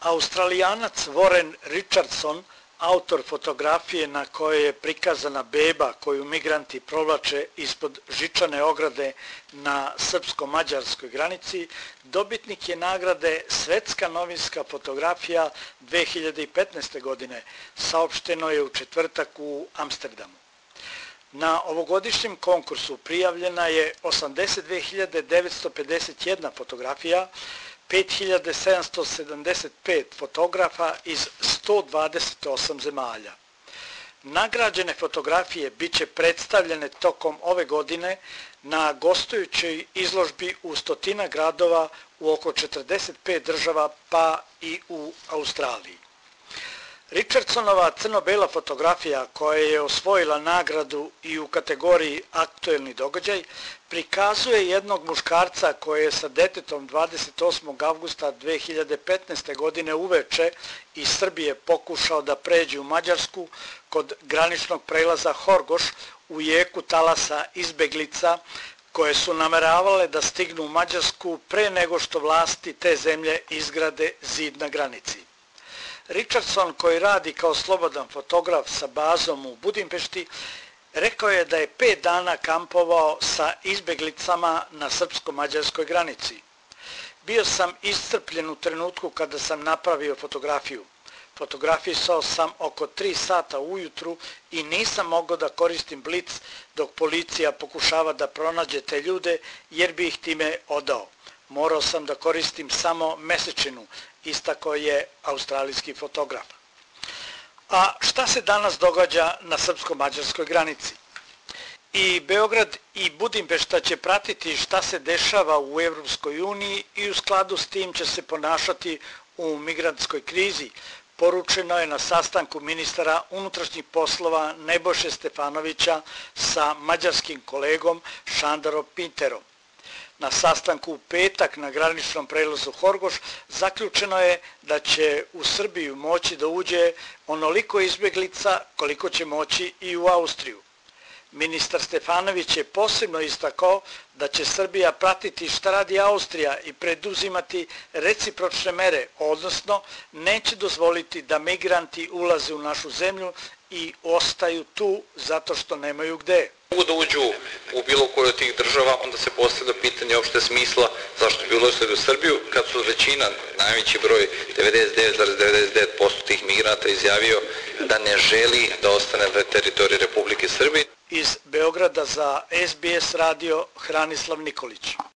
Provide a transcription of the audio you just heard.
Australijanac Warren Richardson, autor fotografije na kojoj je prikazana beba koju migranti provlače ispod žičane ograde na srpsko-mađarskoj granici, dobitnik je nagrade Svetska novinska fotografija 2015. godine, saopšteno je u četvrtak u Amsterdamu. Na ovogodišnjem konkursu prijavljena je 82.951 fotografija, 5.775 fotografa iz 128 zemalja. Nagrađene fotografije bit će predstavljene tokom ove godine na gostujućoj izložbi u 100 gradova u oko 45 država pa i u Australiji. Richardsonova crno-bela fotografija koja je osvojila nagradu i u kategoriji aktuelni događaj prikazuje jednog muškarca koji je sa detetom 28. avgusta 2015. godine uveče iz Srbije pokušao da pređe u Mađarsku kod graničnog prelaza Horgoš u jeku talasa izbeglica koje su nameravale da stignu u Mađarsku pre nego što vlasti te zemlje izgrade zid na granici. Richardson, koji radi kao slobodan fotograf sa bazom u Budimpešti, rekao je da je 5 dana kampovao sa izbeglicama na srpsko-mađarskoj granici. Bio sam iscrpljen u trenutku kada sam napravio fotografiju. Fotografisao sam oko 3 sata ujutru i nisam mogao da koristim blic dok policija pokušava da pronađe te ljude jer bi ih time odao. Morao sam da koristim samo mesečinu, istakao je australijski fotograf. A šta se danas događa na srpsko-mađarskoj granici? I Beograd i Budimpešta će pratiti šta se dešava u Evropskoj uniji i u skladu s tim će se ponašati u migrantskoj krizi, poručeno je na sastanku ministara unutrašnjih poslova Nebojše Stefanovića sa mađarskim kolegom Šandarom Pinterom. Na sastanku u petak na graničnom prelazu Horgoš zaključeno je da će u Srbiju moći da uđe onoliko izbeglica koliko će moći i u Austriju. Ministar Stefanović je posebno istakao da će Srbija pratiti šta radi Austrija i preduzimati recipročne mere, odnosno neće dozvoliti da migranti ulaze u našu zemlju i ostaju tu zato što nemaju gde. Mogu da uđu u bilo koju od tih država, onda se postavlja pitanje opšte smisla zašto bi ulazili u Srbiju, kad su većina, najveći broj, 99,99% tih migranata izjavio da ne želi da ostane na teritoriji Republike Srbije. Iz Beograda za SBS radio Hranislav Nikolić.